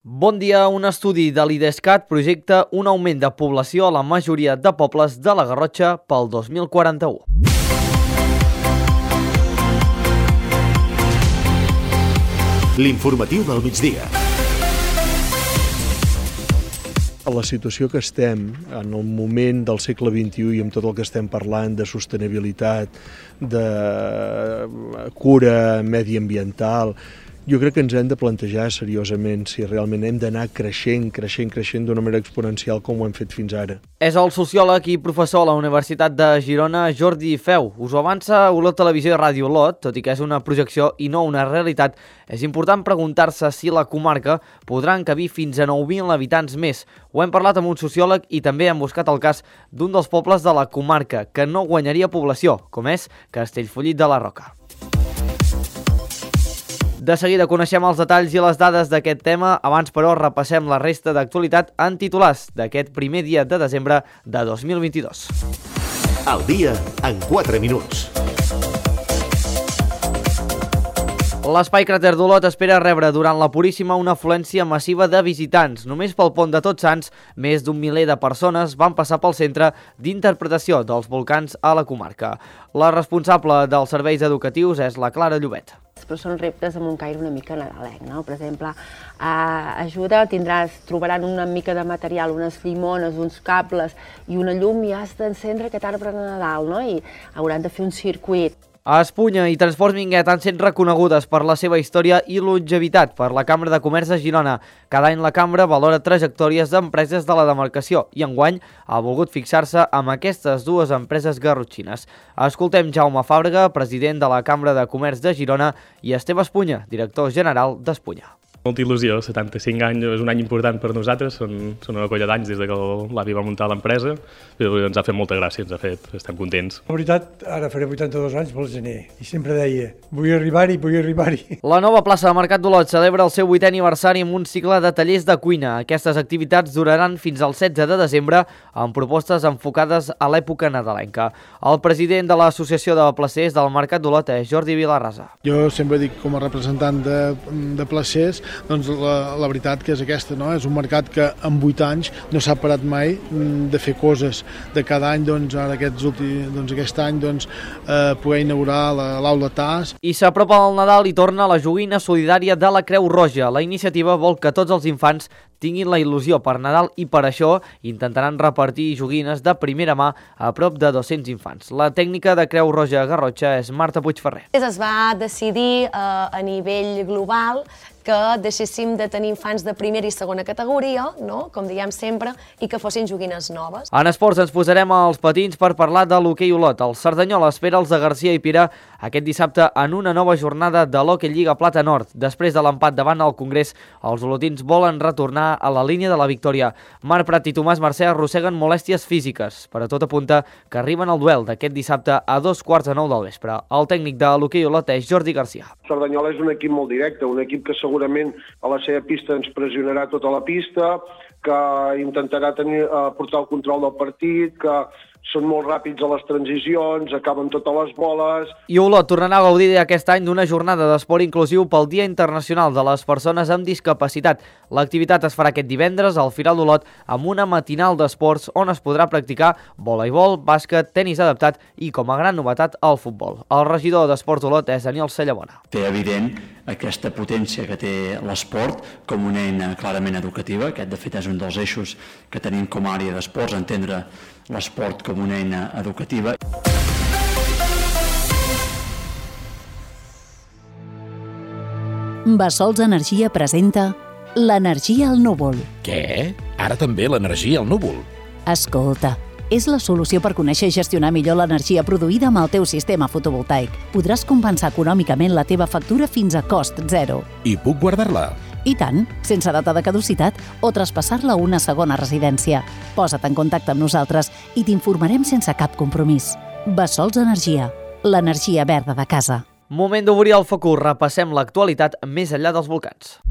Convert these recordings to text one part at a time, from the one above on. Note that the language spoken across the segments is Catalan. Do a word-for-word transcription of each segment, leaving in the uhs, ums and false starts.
Bon dia, un estudi de l'IDESCAT projecta un augment de població a la majoria de pobles de la Garrotxa pel dos mil quaranta-u. L'informatiu del migdia. A la situació que estem, en el moment del segle vint-i-u i amb tot el que estem parlant de sostenibilitat, de cura mediambiental, jo crec que ens hem de plantejar seriosament si realment hem d'anar creixent, creixent, creixent d'una manera exponencial com ho hem fet fins ara. És el sociòleg i professor a la Universitat de Girona, Jordi Feu. Us ho avança Olot Televisió i Ràdio Olot, tot i que és una projecció i no una realitat. És important preguntar-se si la comarca podrà encabir fins a nou mil habitants més. Ho hem parlat amb un sociòleg i també hem buscat el cas d'un dels pobles de la comarca que no guanyaria població, com és Castellfollit de la Roca. De seguida coneixem els detalls i les dades d'aquest tema, abans però repassem la resta d'actualitat en titulars d'aquest primer dia de desembre de dos mil vint-i-dos. El dia en quatre minuts. L'Espai Cràter d'Olot espera rebre durant la Puríssima una afluència massiva de visitants. Només pel pont de Tots Sants, més d'un miler de persones van passar pel centre d'interpretació dels volcans a la comarca. La responsable dels serveis educatius és la Clara Llobet. Però són reptes amb un caire una mica nadalenc, no? Per exemple, eh, ajuda, tindràs, trobaran una mica de material, unes llimones, uns cables i una llum i has d'encendre aquest arbre de Nadal, no? I hauran de fer un circuit. A Espunya i Transports Minguet han set reconegudes per la seva història i longevitat per la Cambra de Comerç de Girona. Cada any la Cambra valora trajectòries d'empreses de la demarcació i enguany ha volgut fixar-se amb aquestes dues empreses garrotxines. Escoltem Jaume Fàbrega, president de la Cambra de Comerç de Girona, i Esteve Espunya, director general d'Espunya. Molta il·lusió, setanta-cinc anys és un any important per nosaltres, són, són una colla d'anys des que l'avi va muntar l'empresa, però ens ha fet molta gràcia, ens ha fet, estem contents. La veritat, ara faré vuitanta-dos anys pel gener, i sempre deia, vull arribar-hi, vull arribar-hi. La nova plaça de Mercat d'Olot celebra el seu vuitè aniversari amb un cicle de tallers de cuina. Aquestes activitats duraran fins al setze de desembre, amb propostes enfocades a l'època nadalenca. El president de l'Associació de Placers del Mercat d'Olot és Jordi Vilarrasa. Jo sempre dic, com a representant de, de placers, doncs la, la veritat que és aquesta, no? És un mercat que en vuit anys no s'ha parat mai de fer coses. De cada any, doncs, ara aquests últims, doncs, aquest any, doncs, eh, poder inaugurar l'aula T A S. I s'apropa el Nadal i torna la joguina solidària de la Creu Roja. La iniciativa vol que tots els infants tinguin la il·lusió per Nadal i per això intentaran repartir joguines de primera mà a prop de dos-cents infants. La tècnica de Creu Roja Garrotxa és Marta Puigferrer. Es va decidir eh, a nivell global que deixéssim de tenir infants de primera i segona categoria, no? Com diem sempre, i que fossin joguines noves. En esports ens posarem als patins per parlar de l'hoquei Olot. El Cerdanyola espera els de Garcia i Pira aquest dissabte en una nova jornada de l'Hoquei Lliga Plata Nord. Després de l'empat davant al Congrés, els olotins volen retornar a la línia de la victòria. Marc Prat i Tomàs Mercè arrosseguen molèsties físiques, però tot apunta que arriben al duel d'aquest dissabte a dos quarts de nou del vespre. El tècnic de l'hoquei Olot és Jordi Garcia. Cerdanyola és un equip molt directe, un equip que segurament a la seva pista ens pressionarà tota la pista, que intentarà tenir, eh, portar el control del partit, que són molt ràpids a les transicions, acaben totes les boles. I Olot tornarà a gaudir aquest any d'una jornada d'esport inclusiu pel Dia Internacional de les Persones amb Discapacitat. L'activitat es farà aquest divendres al Firal d'Olot amb una matinal d'esports on es podrà practicar voleibol, bàsquet, tenis adaptat i, com a gran novetat, el futbol. El regidor d'Esports d'Olot és Daniel Sallamona. Té evident aquesta potència que té l'esport com una eina clarament educativa. Aquest, de fet, és un dels eixos que tenim com a àrea d'esports, entendre l'esport com una eina educativa. Bassols Energia presenta l'energia al núvol. Què? Ara també l'energia al núvol? Escolta, és la solució per conèixer i gestionar millor l'energia produïda amb el teu sistema fotovoltaic. Podràs compensar econòmicament la teva factura fins a cost zero. I puc guardar-la? I tant, sense data de caducitat o traspassar-la a una segona residència. Posa't en contacte amb nosaltres i t'informarem sense cap compromís. Bassols Energia, l'energia verda de casa. Moment d'obrir el focus, repassem l'actualitat més enllà dels volcans.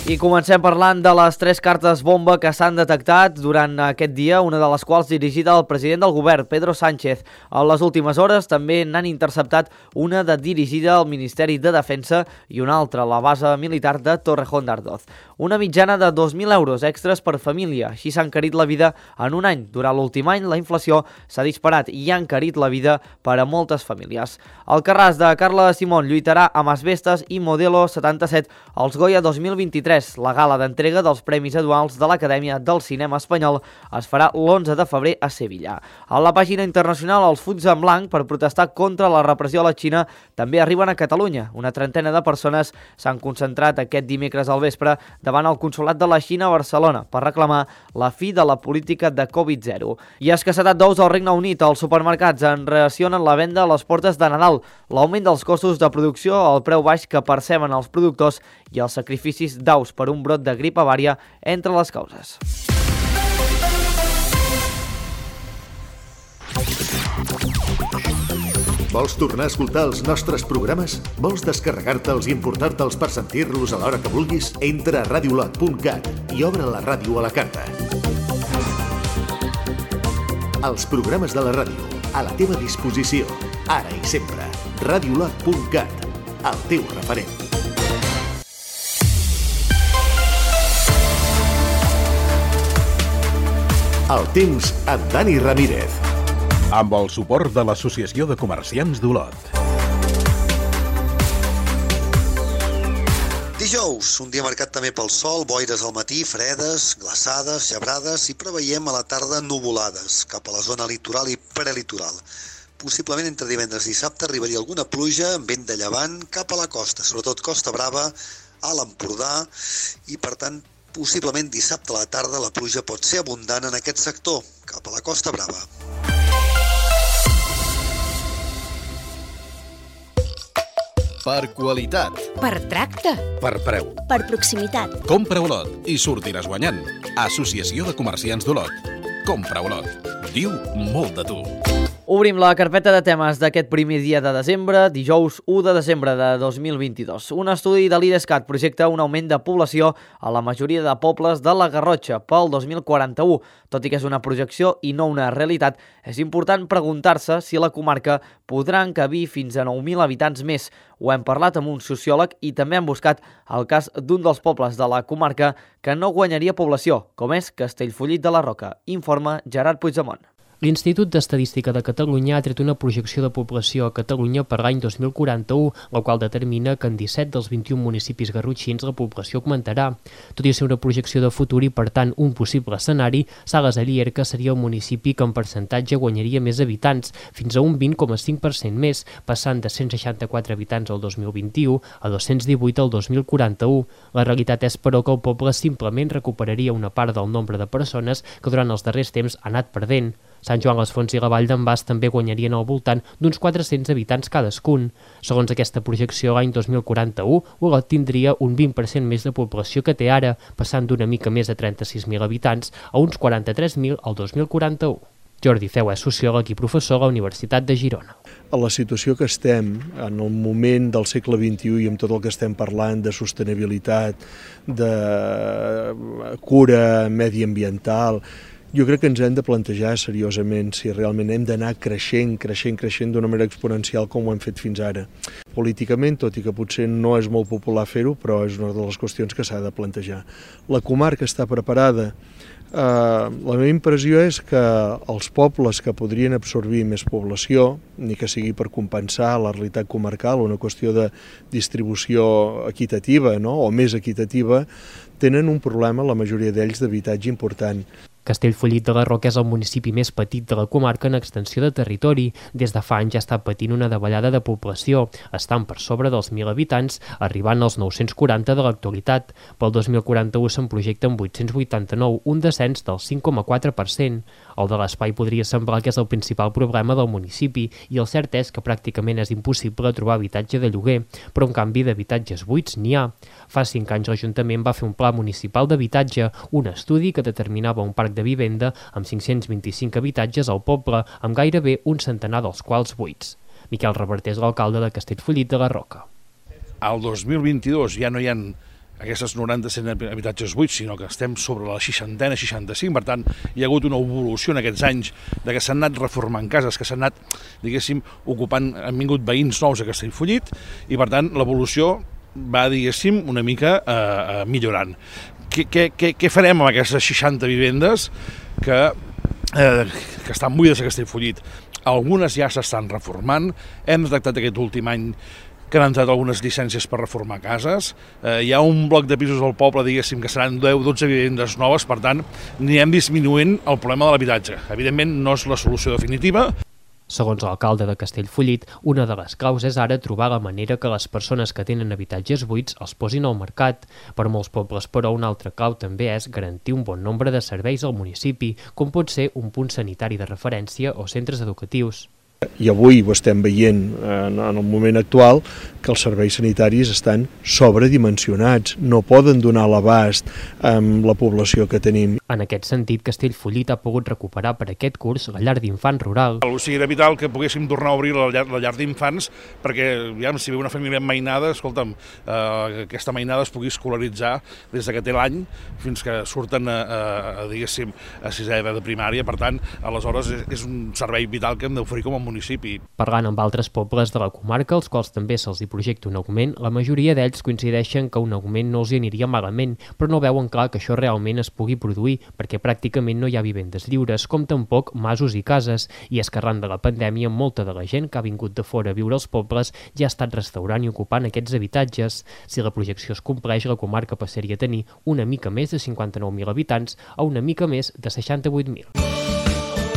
I comencem parlant de les tres cartes bomba que s'han detectat durant aquest dia, una de les quals dirigida al president del govern, Pedro Sánchez. A les últimes hores també n'han interceptat una de dirigida al Ministeri de Defensa i una altra a la base militar de Torrejón d'Ardoz. Una mitjana de dos mil euros extras per família. Així s'ha encarit la vida en un any. Durant l'últim any la inflació s'ha disparat i ha encarit la vida per a moltes famílies. El Carràs de Carla Simón lluitarà amb Asbestes i Modelo setanta-set als Goya dos mil vint-i-tres. La gala d'entrega dels Premis Anuals de l'Acadèmia del Cinema Espanyol es farà l'onze de febrer a Sevilla. A la pàgina internacional, els fulls en blanc per protestar contra la repressió a la Xina també arriben a Catalunya. Una trentena de persones s'han concentrat aquest dimecres al vespre davant el Consolat de la Xina a Barcelona per reclamar la fi de la política de Covid zero. I escassetat d'ous al Regne Unit. Els supermercats en reaccionen la venda a les portes de Nadal, l'augment dels costos de producció, el preu baix que perceben els productors i els sacrificis d'aus per un brot de grip avària entre les causes. Vols tornar a escoltar els nostres programes? Vols descarregar-te'ls i importar-te'ls per sentir-los a l'hora que vulguis? Entra a radiolot punt cat i obre la ràdio a la carta. Els programes de la ràdio, a la teva disposició, ara i sempre. radiolot punt cat, el teu referent. El temps amb Dani Ramírez. Amb el suport de l'Associació de Comerciants d'Olot. Dijous, un dia marcat també pel sol, boires al matí, fredes, glaçades, gebrades i preveiem a la tarda nuvolades cap a la zona litoral i prelitoral. Possiblement entre divendres i dissabte arribaria alguna pluja amb vent de llevant cap a la costa, sobretot Costa Brava, a l'Empordà i per tant possiblement dissabte a la tarda la pluja pot ser abundant en aquest sector, cap a la Costa Brava. Per qualitat. Per tracte. Per preu. Per proximitat. Compra Olot i sortiràs guanyant. Associació de Comerciants d'Olot. Compra Olot. Diu molt de tu. Obrim la carpeta de temes d'aquest primer dia de desembre, dijous u de desembre de dos mil vint-i-dos. Un estudi de l'Idescat projecta un augment de població a la majoria de pobles de la Garrotxa pel dos mil quaranta-u. Tot i que és una projecció i no una realitat, és important preguntar-se si la comarca podrà encabir fins a nou mil habitants més. Ho hem parlat amb un sociòleg i també hem buscat el cas d'un dels pobles de la comarca que no guanyaria població, com és Castellfollit de la Roca. Informa Gerard Puigdemont. L'Institut d'Estadística de Catalunya ha tret una projecció de població a Catalunya per l'any dos mil quaranta-u, la qual determina que en disset dels vint-i-un municipis garrotxins la població augmentarà. Tot i ser una projecció de futur i, per tant, un possible escenari, Sales de Llierca seria el municipi que en percentatge guanyaria més habitants, fins a un vint coma cinc per cent més, passant de cent seixanta-quatre habitants el dos mil vint-i-u a dos-cents divuit el dos mil quaranta-u. La realitat és, però, que el poble simplement recuperaria una part del nombre de persones que durant els darrers temps ha anat perdent. Sant Joan les Fonts i la Vall d'en Bas també guanyarien al voltant d'uns quatre-cents habitants cadascun. Segons aquesta projecció, l'any dos mil quaranta-u, Olot tindria un vint per cent més de població que té ara, passant d'una mica més de trenta-sis mil habitants a uns quaranta-tres mil al dos mil quaranta-u. Jordi Feu és sociòleg i professor a la Universitat de Girona. A la situació que estem, en el moment del segle vint-i-u i amb tot el que estem parlant de sostenibilitat, de cura mediambiental, jo crec que ens hem de plantejar seriosament si realment hem d'anar creixent, creixent, creixent d'una manera exponencial com ho hem fet fins ara. Políticament, tot i que potser no és molt popular fer-ho, però és una de les qüestions que s'ha de plantejar. La comarca està preparada. Uh, la meva impressió és que els pobles que podrien absorbir més població, ni que sigui per compensar la realitat comarcal, una qüestió de distribució equitativa, no? O més equitativa, tenen un problema, la majoria d'ells, d'habitatge important. Castellfollit de la Roca és el municipi més petit de la comarca en extensió de territori. Des de fa anys ja està patint una davallada de població, estant per sobre dels mil habitants, arribant als nou-cents quaranta de l'actualitat. Pel dos mil quaranta-u se'n projecten vuit-cents vuitanta-nou, un descens del cinc coma quatre per cent. El de l'espai podria semblar que és el principal problema del municipi i el cert és que pràcticament és impossible trobar habitatge de lloguer, però en canvi d'habitatges buits n'hi ha. Fa cinc anys l'Ajuntament va fer un pla municipal d'habitatge, un estudi que determinava un parc de vivenda amb cinc-cents vint-i-cinc habitatges al poble, amb gairebé un centenar dels quals buits. Miquel Reverter és l'alcalde de Castellfollit de la Roca. Al dos mil vint-i-dos ja no hi ha aquestes noranta cent habitatges buits, sinó que estem sobre la seixantena, seixanta-cinc, per tant, hi ha hagut una evolució en aquests anys de que s'han anat reformant cases, que s'han anat, diguéssim, ocupant, han vingut veïns nous a Castellfollit, i per tant, l'evolució va, diguéssim, una mica eh, millorant. Què, què, què farem amb aquestes seixanta vivendes que, eh, que estan buides a Castellfollit? Algunes ja s'estan reformant, hem detectat aquest últim any que han entrat algunes llicències per reformar cases, eh, hi ha un bloc de pisos al poble, diguéssim, que seran deu o dotze vivendes noves, per tant, anirem disminuint el problema de l'habitatge. Evidentment, no és la solució definitiva. Segons l'alcalde de Castellfollit, una de les claus és ara trobar la manera que les persones que tenen habitatges buits els posin al mercat. Per molts pobles, però, una altra clau també és garantir un bon nombre de serveis al municipi, com pot ser un punt sanitari de referència o centres educatius. I avui ho estem veient en el moment actual, que els serveis sanitaris estan sobredimensionats, no poden donar l'abast amb la població que tenim. En aquest sentit, Castellfollit ha pogut recuperar per aquest curs la llar d'infants rural. O sigui, era vital que poguéssim tornar a obrir la llar, la llar d'infants, perquè ja, si ve una família mainada, escolta'm, eh, aquesta mainada es pugui escolaritzar des que té l'any fins que surten a, a, a, diguéssim, a sisè de primària. Per tant, aleshores és, és un servei vital que hem d'oferir com a municipi. Parlant amb altres pobles de la comarca, als quals també se'ls hi projecta un augment, la majoria d'ells coincideixen que un augment no els hi aniria malament, però no veuen clar que això realment es pugui produir, perquè pràcticament no hi ha vivendes lliures, com tampoc masos i cases, i és que arran de la pandèmia molta de la gent que ha vingut de fora a viure als pobles ja ha estat restaurant i ocupant aquests habitatges. Si la projecció es compleix, la comarca passaria a tenir una mica més de cinquanta-nou mil habitants a una mica més de seixanta-vuit mil.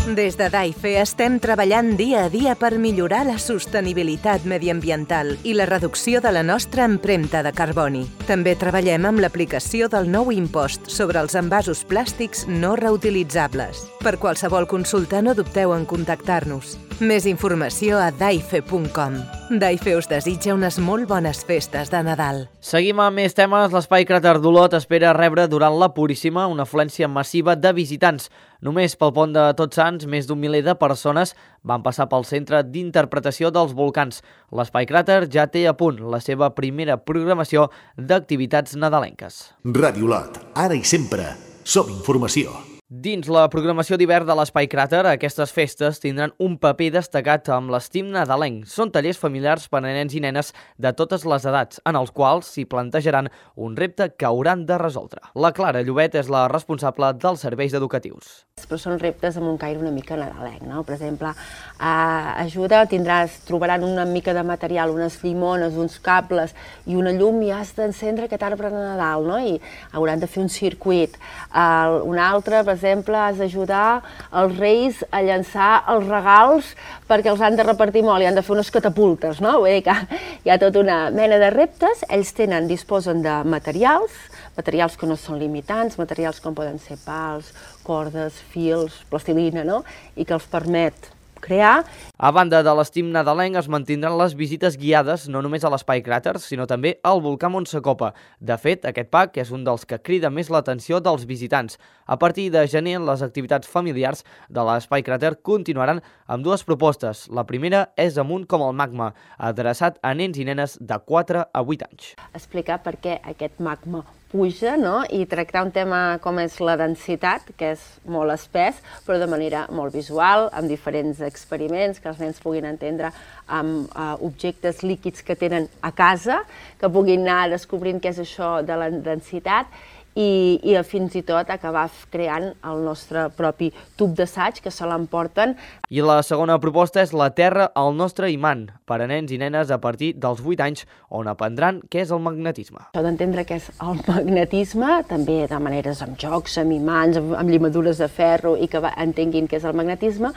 Des de DAIFE estem treballant dia a dia per millorar la sostenibilitat mediambiental i la reducció de la nostra empremta de carboni. També treballem amb l'aplicació del nou impost sobre els envasos plàstics no reutilitzables. Per qualsevol consulta no dubteu en contactar-nos. Més informació a daife punt com. DAIFE us desitja unes molt bones festes de Nadal. Seguim amb més temes. L'Espai Cràter d'Olot espera rebre durant la Puríssima una afluència massiva de visitants. Només pel pont de Tots Sants, més d'un miler de persones van passar pel Centre d'Interpretació dels Volcans. L'Espai Cràter ja té a punt la seva primera programació d'activitats nadalenques. Ràdio Olot, ara i sempre, som informació. Dins la programació d'hivern de l'Espai Cràter, aquestes festes tindran un paper destacat amb l'estim nadalenc. Són tallers familiars per a nens i nenes de totes les edats, en els quals s'hi plantejaran un repte que hauran de resoldre. La Clara Llobet és la responsable dels serveis educatius. Però són reptes amb un caire una mica nadalenc, no? Per exemple, a ajuda tindràs, trobaran una mica de material, unes llimones, uns cables i una llum i has d'encendre aquest arbre de Nadal, no? I hauran de fer un circuit. Uh, un altre, per exemple, has d'ajudar els reis a llançar els regals perquè els han de repartir molt i han de fer unes catapultes, no? Vull dir que hi ha tota una mena de reptes. Ells tenen, disposen de materials, materials que no són limitants, materials com poden ser pals, cordes, fils, plastilina, no? I que els permet crear. A banda de l'estim nadalenc, es mantindran les visites guiades no només a l'Espai Cràter, sinó també al volcà Montsecopa. De fet, aquest parc és un dels que crida més l'atenció dels visitants. A partir de gener, les activitats familiars de l'Espai Cràter continuaran amb dues propostes. La primera és Amunt com el magma, adreçat a nens i nenes de quatre a vuit anys. Explicar per què aquest magma puja, no? I tractar un tema com és la densitat, que és molt espès, però de manera molt visual, amb diferents experiments que els nens puguin entendre amb uh, objectes líquids que tenen a casa, que puguin anar descobrint què és això de la densitat i, i fins i tot acabar creant el nostre propi tub d'assaig que se l'emporten. I la segona proposta és La Terra, el nostre imant, per a nens i nenes a partir dels vuit anys, on aprendran què és el magnetisme. Això d'entendre què és el magnetisme, també de maneres amb jocs, amb imants, amb, amb llimadures de ferro i que entenguin què és el magnetisme,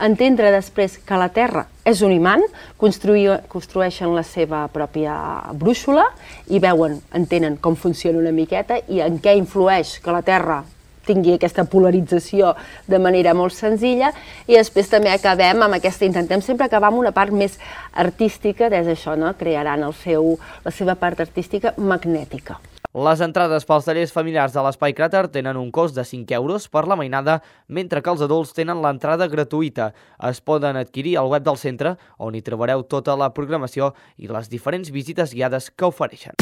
entendre després que la Terra és un imant, construeixen la seva pròpia brúixola i veuen, entenen com funciona una miqueta i en què influeix que la Terra tingui aquesta polarització de manera molt senzilla i després també acabem amb aquesta, intentem sempre acabar amb una part més artística, des d'això, no? Crearan el seu, la seva part artística magnètica. Les entrades pels tallers familiars de l'Espai Cràter tenen un cost de cinc euros per la mainada, mentre que els adults tenen l'entrada gratuïta. Es poden adquirir al web del centre, on hi trobareu tota la programació i les diferents visites guiades que ofereixen.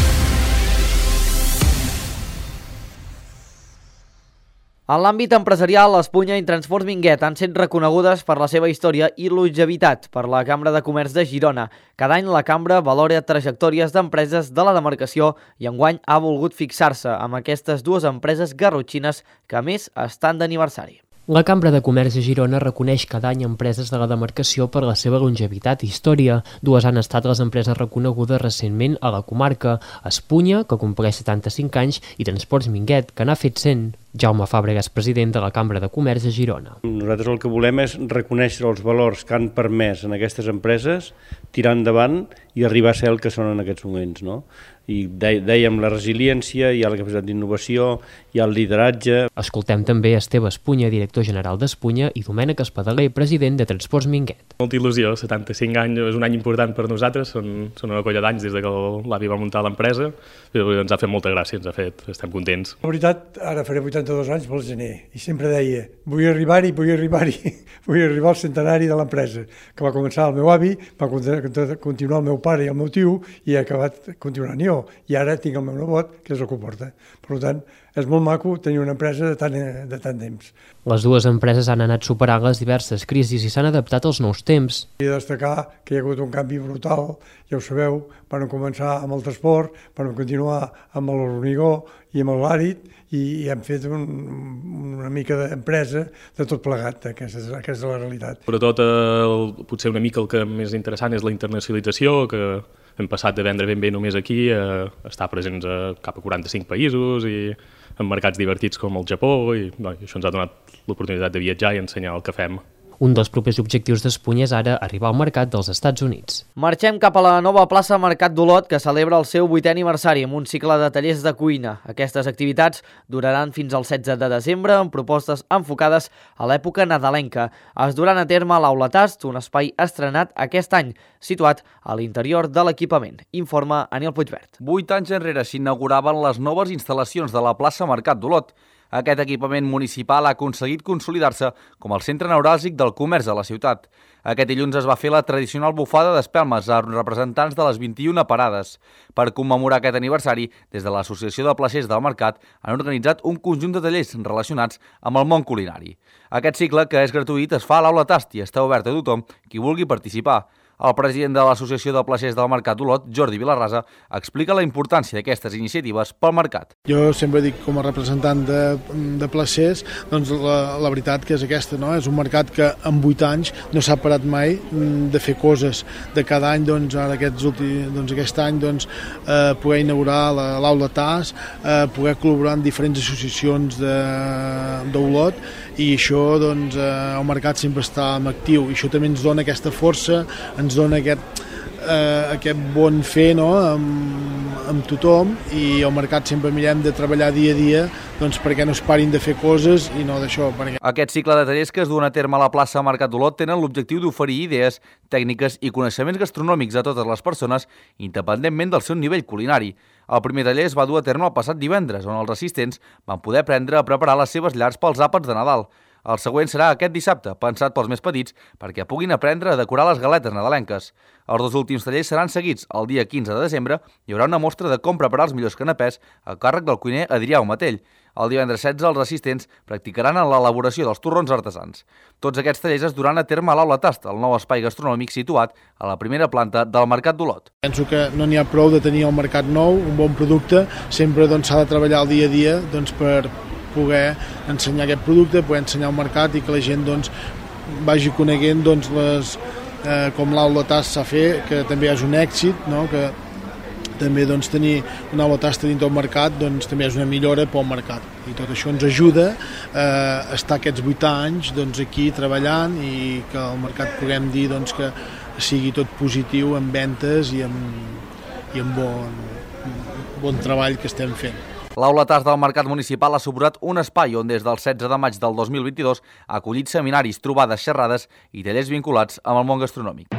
En l'àmbit empresarial, Espunya i Transports Minguet han set reconegudes per la seva història i longevitat per la Cambra de Comerç de Girona. Cada any la Cambra valora trajectòries d'empreses de la demarcació i enguany ha volgut fixar-se amb aquestes dues empreses garrotxines que a més estan d'aniversari. La Cambra de Comerç de Girona reconeix cada any empreses de la demarcació per la seva longevitat i història. Dues han estat les empreses reconegudes recentment a la comarca: Espunya, que compleix setanta-cinc anys, i Transports Minguet, que n'ha fet cent. Jaume Fàbregas, president de la Cambra de Comerç de Girona. Nosaltres el que volem és reconèixer els valors que han permès en aquestes empreses tirar endavant i arribar a ser el que són en aquests moments, no? I dèiem la resiliència, hi ha la capacitat d'innovació, hi ha el lideratge. Escoltem també Esteve Espunya, director general d'Espunya, i Domènec Espadaler, president de Transports Minguet. Molta il·lusió, setanta-cinc anys, és un any important per nosaltres, són, són una colla d'anys des que l'avi va muntar l'empresa, i ens ha fet molta gràcia, ens ha fet, estem contents. La veritat, ara faré vuitanta-dos anys pel gener, i sempre deia, vull arribar-hi, vull arribar-hi, vull arribar al centenari de l'empresa, que va començar el meu avi, va continuar el meu pare i el meu tio, i ha acabat continuant jo. I ara tinc el meu nebot, que és el que ho porta. Per tant, és molt maco tenir una empresa de tant, de tant temps. Les dues empreses han anat superant les diverses crisis i s'han adaptat als nous temps. He de destacar que hi ha hagut un canvi brutal, ja ho sabeu, van començar amb el transport, van continuar amb l'hormigó i amb l'àrid, i hem fet un, una mica d'empresa de tot plegat, aquesta és, aquesta és la realitat. Sobretot, el, potser una mica el que més interessant és la internacionalització, que hem passat de vendre ben bé només aquí a estar presents a cap a quaranta-cinc països i en mercats divertits com el Japó, i no, això ens ha donat l'oportunitat de viatjar i ensenyar el que fem. Un dels propers objectius d'Espunya és ara arribar al mercat dels Estats Units. Marxem cap a la nova plaça Mercat d'Olot, que celebra el seu vuitè aniversari amb un cicle de tallers de cuina. Aquestes activitats duraran fins al setze de desembre amb propostes enfocades a l'època nadalenca. Es duran a terme a l'Aula Tast, un espai estrenat aquest any, situat a l'interior de l'equipament. Informa Aniel Puigvert. Vuit anys enrere s'inauguraven les noves instal·lacions de la plaça Mercat d'Olot. Aquest equipament municipal ha aconseguit consolidar-se com el centre neuràlgic del comerç a la ciutat. Aquest dilluns es va fer la tradicional bufada d'espelmes a representants de les vint-i-una parades. Per commemorar aquest aniversari, des de l'Associació de Placers del Mercat han organitzat un conjunt de tallers relacionats amb el món culinari. Aquest cicle, que és gratuït, es fa a l'Aula Tast i està obert a tothom qui vulgui participar. El president de l'Associació de Placers del Mercat d'Olot, Jordi Vilarrasa, explica la importància d'aquestes iniciatives pel mercat. Jo sempre dic, com a representant de, de placers, doncs la, la veritat que és aquesta, no? És un mercat que en vuit anys no s'ha parat mai de fer coses. De cada any, doncs, ara aquests últims, doncs, aquest any, doncs, eh, poder inaugurar l'Aula Tast, eh, poder col·laborar en diferents associacions d'Olot, i això, doncs, eh, el mercat sempre està en actiu, i això també ens dona aquesta força, ens dona aquest, eh, aquest bon fer, no? amb, amb tothom, i al mercat sempre mirem de treballar dia a dia, doncs perquè no es parin de fer coses i no d'això. Perquè... Aquest cicle de tallers que es duen a terme a la plaça Mercat d'Olot tenen l'objectiu d'oferir idees, tècniques i coneixements gastronòmics a totes les persones, independentment del seu nivell culinari. El primer taller es va dur a terme el passat divendres, on els assistents van poder aprendre a preparar les seves llars pels àpats de Nadal. El següent serà aquest dissabte, pensat pels més petits, perquè puguin aprendre a decorar les galetes nadalenques. Els dos últims tallers seran seguits. El dia quinze de desembre hi haurà una mostra de com preparar els millors canapès a càrrec del cuiner Adrià Omatell. El divendres setze els assistents practicaran en l'elaboració dels torrons artesans. Tots aquests tallers es duran a terme a l'Aula Tast, el nou espai gastronòmic situat a la primera planta del Mercat d'Olot. Penso que no n'hi ha prou de tenir el mercat nou, un bon producte, sempre doncs, s'ha de treballar el dia a dia doncs, per poder ensenyar aquest producte, poder ensenyar al mercat i que la gent doncs, vagi coneguent doncs, les, eh, com l'Aula Tast s'ha fet, que també és un èxit, no? Que també doncs, tenir una Aula Tast dins del mercat doncs, també és una millora pel mercat. I tot això ens ajuda eh, a estar aquests vuit anys doncs, aquí treballant i que al mercat puguem dir doncs, que sigui tot positiu en ventes i en, i en bon, bon treball que estem fent. L'Aula Tast del Mercat Municipal ha suposat un espai on des del setze de maig del dos mil vint-i-dos ha acollit seminaris, trobades, xerrades i tallers vinculats amb el món gastronòmic.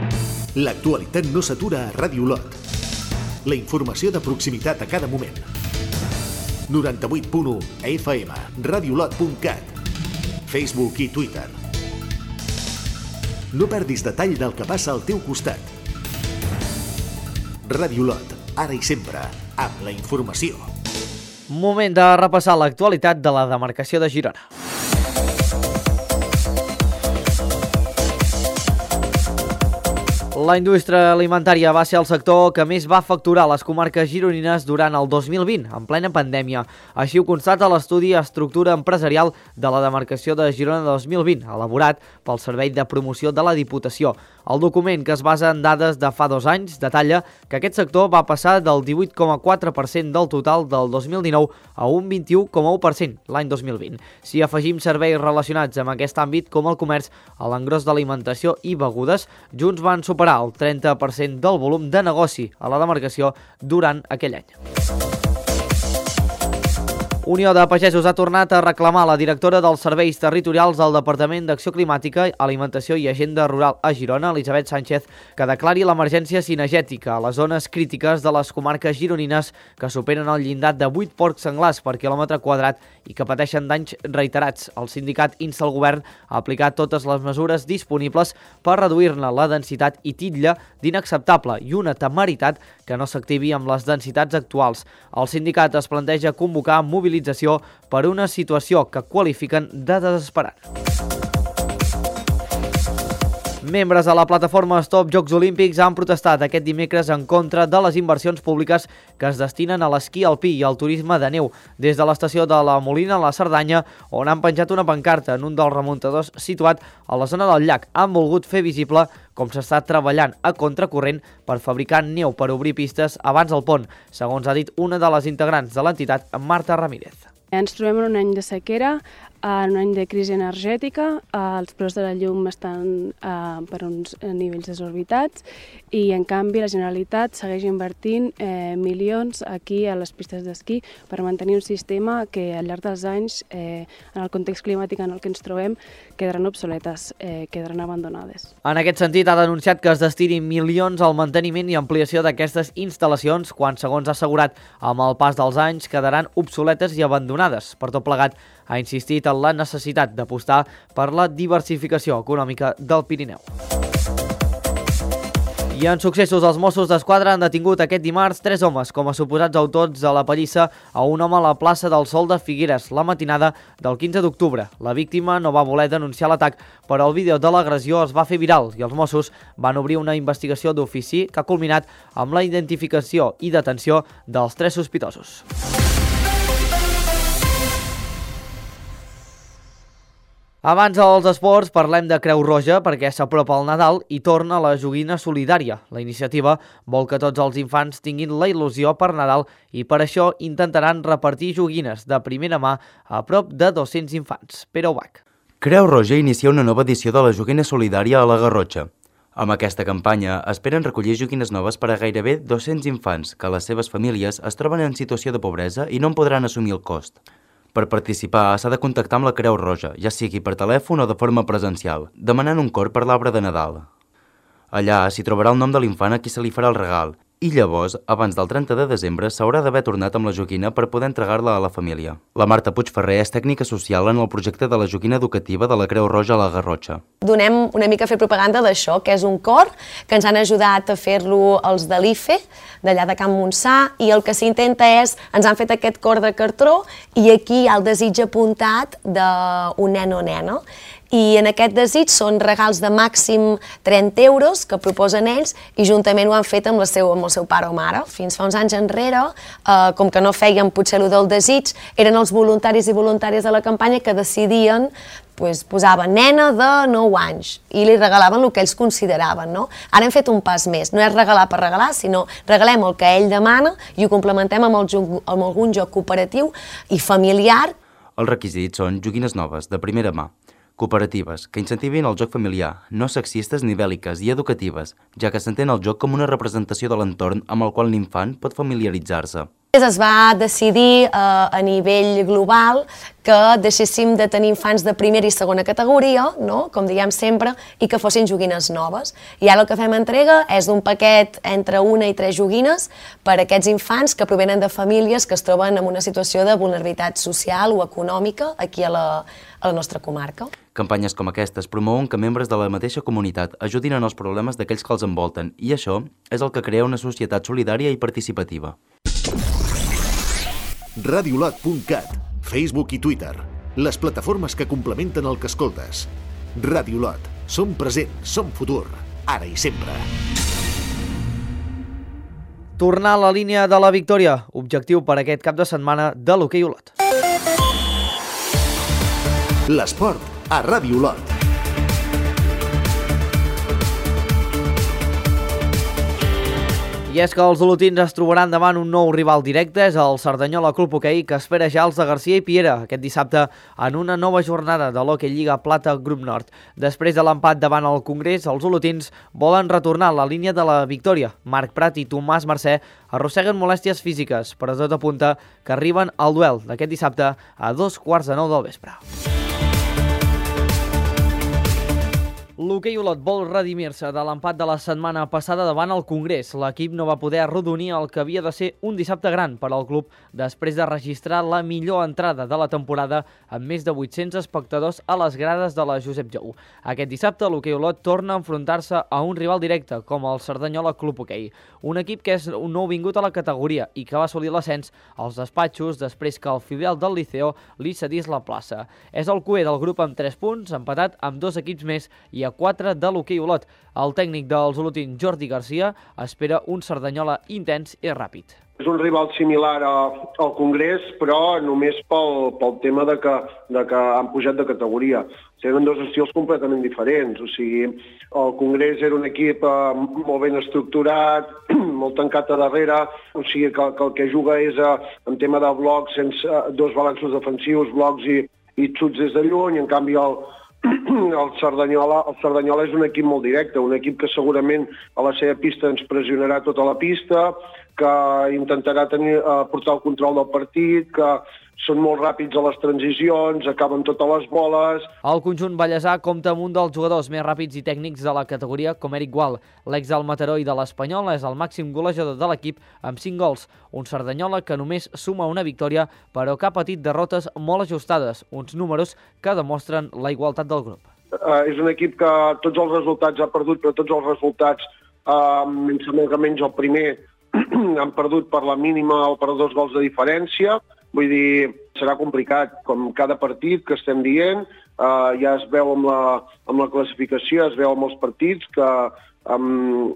L'actualitat no s'atura a Ràdio Olot. La informació de proximitat a cada moment. noranta-vuit punt u F M, radiolot punt cat, Facebook i Twitter. No perdis detall del que passa al teu costat. Ràdio Olot, ara i sempre, amb la informació. Moment de repassar l'actualitat de la demarcació de Girona. La indústria alimentària va ser el sector que més va facturar a les comarques gironines durant el dos mil vint, en plena pandèmia. Així ho constata l'estudi Estructura Empresarial de la demarcació de Girona dos mil vint, elaborat pel Servei de Promoció de la Diputació. El document, que es basa en dades de fa dos anys, detalla que aquest sector va passar del divuit coma quatre per cent del total del dos mil dinou a un vint-i-u coma u per cent l'any dos mil vint. Si afegim serveis relacionats amb aquest àmbit, com el comerç, l'engròs d'alimentació i begudes, junts van superar el trenta per cent del volum de negoci a la demarcació durant aquell any. Unió de Pagesos ha tornat a reclamar a la directora dels Serveis Territorials del Departament d'Acció Climàtica, Alimentació i Agenda Rural a Girona, Elisabet Sánchez, que declari l'emergència cinegètica a les zones crítiques de les comarques gironines que superen el llindar de vuit porcs senglars per quilòmetre quadrat i que pateixen danys reiterats. El sindicat insta el govern a aplicar totes les mesures disponibles per reduir-ne la densitat i titlla d'inacceptable i una temeritat que no s'activi amb les densitats actuals. El sindicat es planteja convocar mobilització per una situació que qualifiquen de desesperant. Membres de la plataforma Stop Jocs Olímpics han protestat aquest dimecres en contra de les inversions públiques que es destinen a l'esquí alpí i al turisme de neu. Des de l'estació de la Molina a la Cerdanya, on han penjat una pancarta en un dels remuntadors situat a la zona del llac, han volgut fer visible com s'està treballant a contracorrent per fabricar neu per obrir pistes abans del pont, segons ha dit una de les integrants de l'entitat, Marta Ramírez. Ens trobem en un any de sequera, en un any de crisi energètica, els preus de la llum estan eh, per uns nivells desorbitats i, en canvi, la Generalitat segueix invertint eh, milions aquí a les pistes d'esquí per mantenir un sistema que al llarg dels anys, eh, en el context climàtic en el que ens trobem, quedaran obsoletes, eh, quedaran abandonades. En aquest sentit, ha denunciat que es destinin milions al manteniment i ampliació d'aquestes instal·lacions quan, segons ha assegurat, amb el pas dels anys quedaran obsoletes i abandonades. Per tot plegat, ha insistit en la necessitat d'apostar per la diversificació econòmica del Pirineu. I en successos, els Mossos d'Esquadra han detingut aquest dimarts tres homes com a suposats autors de la pallissa a un home a la plaça del Sol de Figueres la matinada del quinze d'octubre. La víctima no va voler denunciar l'atac, però el vídeo de l'agressió es va fer viral i els Mossos van obrir una investigació d'ofici que ha culminat amb la identificació i detenció dels tres sospitosos. Abans dels esports parlem de Creu Roja perquè s'apropa el Nadal i torna la joguina solidària. La iniciativa vol que tots els infants tinguin la il·lusió per Nadal i per això intentaran repartir joguines de primera mà a prop de dos-cents infants. Pere Ubach. Creu Roja inicia una nova edició de la joguina solidària a la Garrotxa. Amb aquesta campanya esperen recollir joguines noves per a gairebé dos-cents infants que les seves famílies es troben en situació de pobresa i no en podran assumir el cost. Per participar s'ha de contactar amb la Creu Roja, ja sigui per telèfon o de forma presencial, demanant un cor per l'arbre de Nadal. Allà s'hi trobarà el nom de l'infant a qui se li farà el regal i llavors, abans del trenta de desembre, s'haurà d'haver tornat amb la joguina per poder entregar-la a la família. La Marta Puigferrer és tècnica social en el projecte de la joguina educativa de la Creu Roja a la Garrotxa. Donem una mica a fer propaganda d'això, que és un cor, que ens han ajudat a fer-lo els de l'I F E, d'allà de Can Montsà, i el que s'intenta és, ens han fet aquest cor de cartró i aquí hi ha el desig apuntat d'un nen o nena. I en aquest desig són regals de màxim trenta euros que proposen ells i juntament ho han fet amb, la seu, amb el seu pare o mare. Fins fa uns anys enrere, eh, com que no feien potser allò del desig, eren els voluntaris i voluntàries de la campanya que decidien, pues, posaven nena de nou anys i li regalaven el que ells consideraven. No? Ara hem fet un pas més, no és regalar per regalar, sinó regalem el que ell demana i ho complementem amb, el joc, amb algun joc cooperatiu i familiar. Els requisits són joguines noves, de primera mà, cooperatives, que incentivin el joc familiar, no sexistes ni bèl·liques i educatives, ja que s'entén el joc com una representació de l'entorn amb el qual l'infant pot familiaritzar-se. Es va decidir eh, a nivell global que deixéssim de tenir infants de primera i segona categoria, no? Com diguem sempre, i que fossin joguines noves. I ara el que fem entrega és d'un paquet entre una i tres joguines per a aquests infants que provenen de famílies que es troben en una situació de vulnerabilitat social o econòmica aquí a la, a la nostra comarca. Campanyes com aquestes promouen que membres de la mateixa comunitat ajudin en els problemes d'aquells que els envolten i això és el que crea una societat solidària i participativa. radiolot punt cat, Facebook i Twitter, les plataformes que complementen el que escoltes. Radiolot, som present, som futur, ara i sempre. Tornar a la línia de la victòria, objectiu per aquest cap de setmana de l'hoquei Olot. L'esport a Ràdio Olot. I és que els olotins es trobaran davant un nou rival directe, és el Cerdanyola Club Hoquei, que espera ja els de Garcia i Piera aquest dissabte en una nova jornada de l'Hoquei Lliga Plata Grup Nord. Després de l'empat davant el Congrés, els olotins volen retornar a la línia de la victòria. Marc Prat i Tomàs Mercè arrosseguen molèsties físiques, però tot apunta que arriben al duel d'aquest dissabte a dos quarts de nou del vespre. L'hoquei Olot vol redimir-se de l'empat de la setmana passada davant el Congrés. L'equip no va poder arrodonir el que havia de ser un dissabte gran per al club després de registrar la millor entrada de la temporada amb més de vuit-cents espectadors a les grades de la Josep Jou. Aquest dissabte l'hoquei Olot torna a enfrontar-se a un rival directe com el Cerdanyola Club Hoquei, un equip que és un nou vingut a la categoria i que va assolir l'ascens als despatxos després que el filial del Liceo li cedís la plaça. És el cuer del grup amb tres punts, empatat amb dos equips més i a quatre de l'hoquei Olot. El tècnic dels olotins, Jordi Garcia, espera un Cerdanyola intens i ràpid. És un rival similar a, al Congrés, però només pel, pel tema de que, de que han pujat de categoria. Tenen dos estils completament diferents. O sigui, el Congrés era un equip eh, molt ben estructurat, molt tancat a darrere, o sigui que, que el que juga és eh, en tema de blocs, sense eh, dos balanços defensius, blocs i, i xuts des de lluny. En canvi, el, el Cerdanyola, el Cerdanyola és un equip molt directe, un equip que segurament a la seva pista ens pressionarà tota la pista, que intentarà tenir, eh, portar el control del partit, que són molt ràpids a les transicions, acaben totes les boles. El conjunt ballesà compta amb un dels jugadors més ràpids i tècnics de la categoria, com Eric Gual. L'ex del Mataró i de l'Espanyol és el màxim golejador de l'equip amb cinc gols. Un Cerdanyola que només suma una victòria, però que ha patit derrotes molt ajustades, uns números que demostren la igualtat del grup. Uh, és un equip que tots els resultats ha perdut, però tots els resultats, uh, em sembla que menys el primer, han perdut per la mínima o per dos gols de diferència. Vull dir, serà complicat, com cada partit que estem dient, eh, ja es veu amb la, amb la classificació, es veu amb els partits que um,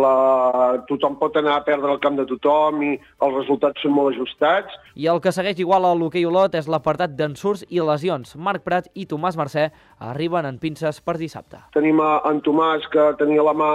la, tothom pot anar a perdre el camp de tothom i els resultats són molt ajustats. I el que segueix igual a l'hoquei Olot és l'apartat d'ensurts i lesions. Marc Prat i Tomàs Mercè arriben en pinces per dissabte. Tenim en Tomàs, que tenia la mà,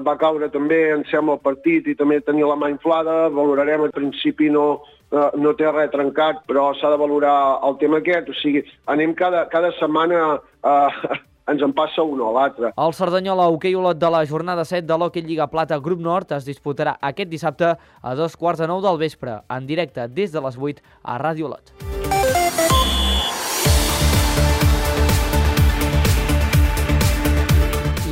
va caure també, em sembla, el partit, i també tenia la mà inflada. Valorarem, al principi no, no té res trencat, però s'ha de valorar el tema aquest. O sigui, anem cada, cada setmana eh, ens en passa un o l'altre. El Cerdanyola Hoquei Olot de la jornada set de l'Hoquei Lliga Plata Grup Nord es disputarà aquest dissabte a dos quarts de nou del vespre, en directe des de les vuit a Ràdio Olot.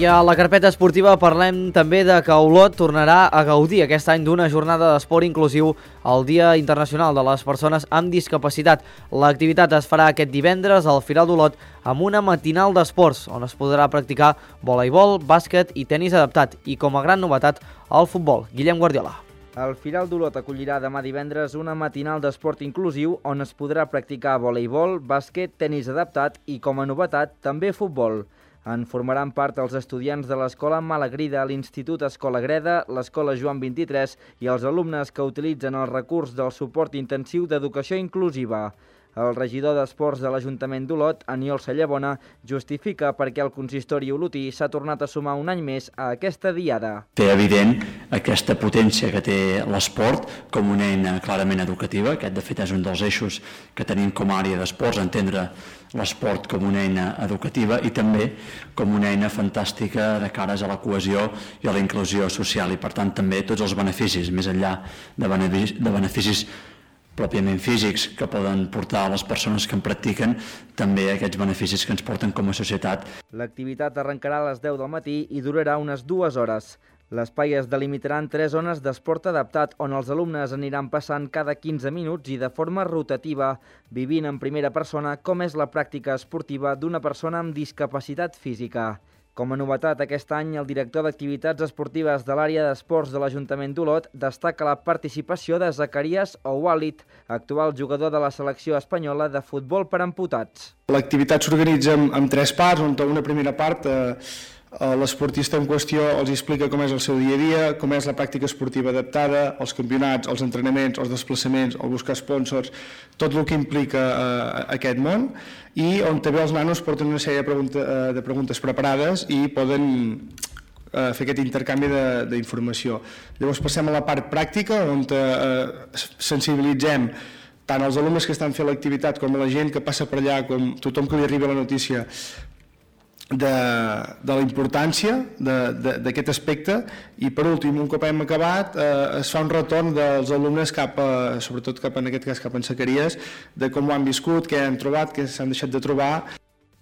I a la carpeta esportiva parlem també de que Olot tornarà a gaudir aquest any d'una jornada d'esport inclusiu el Dia Internacional de les Persones amb Discapacitat. L'activitat es farà aquest divendres al Firal d'Olot amb una matinal d'esports on es podrà practicar voleibol, bàsquet i tenis adaptat i, com a gran novetat, el futbol. Guillem Guardiola. El Firal d'Olot acollirà demà divendres una matinal d'esport inclusiu on es podrà practicar voleibol, bàsquet, tenis adaptat i, com a novetat, també futbol. En formaran part els estudiants de l'Escola Malagrida, l'Institut Escola Greda, l'Escola Joan vint-i-tres i els alumnes que utilitzen el recurs del suport intensiu d'educació inclusiva. El regidor d'Esports de l'Ajuntament d'Olot, Aniol Sallabona, justifica perquè el consistori olotí s'ha tornat a sumar un any més a aquesta diada. Té evident aquesta potència que té l'esport com una eina clarament educativa. Aquest, de fet, és un dels eixos que tenim com a àrea d'esports, entendre l'esport com una eina educativa i també com una eina fantàstica de cares a la cohesió i a la inclusió social i, per tant, també tots els beneficis, més enllà de beneficis, de beneficis pròpiament físics que poden portar a les persones que en practiquen, també aquests beneficis que ens porten com a societat. L'activitat arrencarà a les deu del matí i durarà unes dues hores. L'espai es delimitaran tres zones d'esport adaptat on els alumnes aniran passant cada quinze minuts i de forma rotativa, vivint en primera persona com és la pràctica esportiva d'una persona amb discapacitat física. Com a novetat, aquest any, el director d'Activitats Esportives de l'àrea d'esports de l'Ajuntament d'Olot destaca la participació de Zacarías Oualit, actual jugador de la selecció espanyola de futbol per amputats. L'activitat s'organitza en, en tres parts, on una primera part eh, l'esportista en qüestió els explica com és el seu dia a dia, com és la pràctica esportiva adaptada, els campionats, els entrenaments, els desplaçaments, el buscar sponsors, tot el que implica eh, aquest món, i on també els nanos porten una sèrie de, pregunta, de preguntes preparades i poden eh, fer aquest intercanvi d'informació. Llavors passem a la part pràctica, on eh, sensibilitzem tant els alumnes que estan fent l'activitat com la gent que passa per allà, com tothom que li arriba la notícia, de, de la importància d'aquest aspecte, i per últim, un cop hem acabat, eh, es fa un retorn dels alumnes cap a, sobretot cap en aquest cas cap en Zacaries, de com ho han viscut, què han trobat, què s'han deixat de trobar.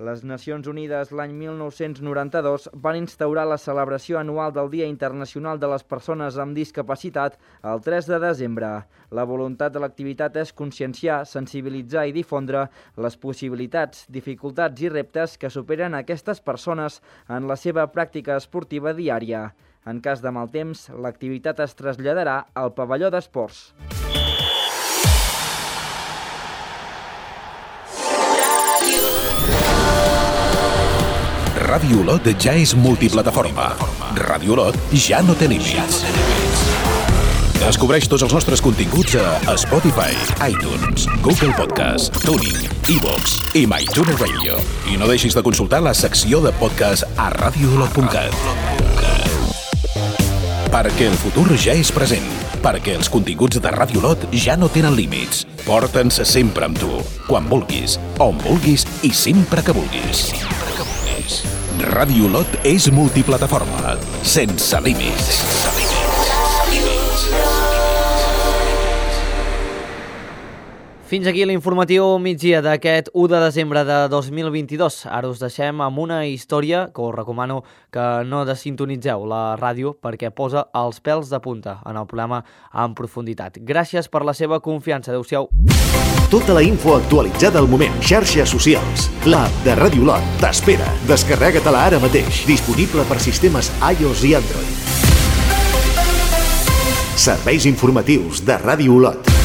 Les Nacions Unides l'any mil nou-cents noranta-dos van instaurar la celebració anual del Dia Internacional de les Persones amb Discapacitat el tres de desembre. La voluntat de l'activitat és conscienciar, sensibilitzar i difondre les possibilitats, dificultats i reptes que superen aquestes persones en la seva pràctica esportiva diària. En cas de mal temps, l'activitat es traslladarà al pavelló d'esports. Ràdio Olot ja és multiplataforma. Ràdio Olot ja no té límits. Descobreix tots els nostres continguts a Spotify, iTunes, Google Podcast, Tuning, iVoox i MyTuner Radio. I no deixis de consultar la secció de podcast a radio olot punt cat. Perquè el futur ja és present. Perquè els continguts de Ràdio Olot ja no tenen límits. Porta'ns sempre amb tu, quan vulguis, on vulguis i sempre que vulguis. Ràdio Olot és multiplataforma, sense límits. Fins aquí l'informatiu migdia d'aquest u de desembre de dos mil vint-i-dos. Ara us deixem amb una història que us recomano que no desintonitzeu la ràdio perquè posa els pèls de punta en el programa en profunditat. Gràcies per la seva confiança. Adéu-siau. Tota la info actualitzada al moment. Xarxes socials. L'app de Ràdio Olot t'espera. Descarrega-te-la ara mateix. Disponible per sistemes iOS i Android. Serveis informatius de Ràdio Olot.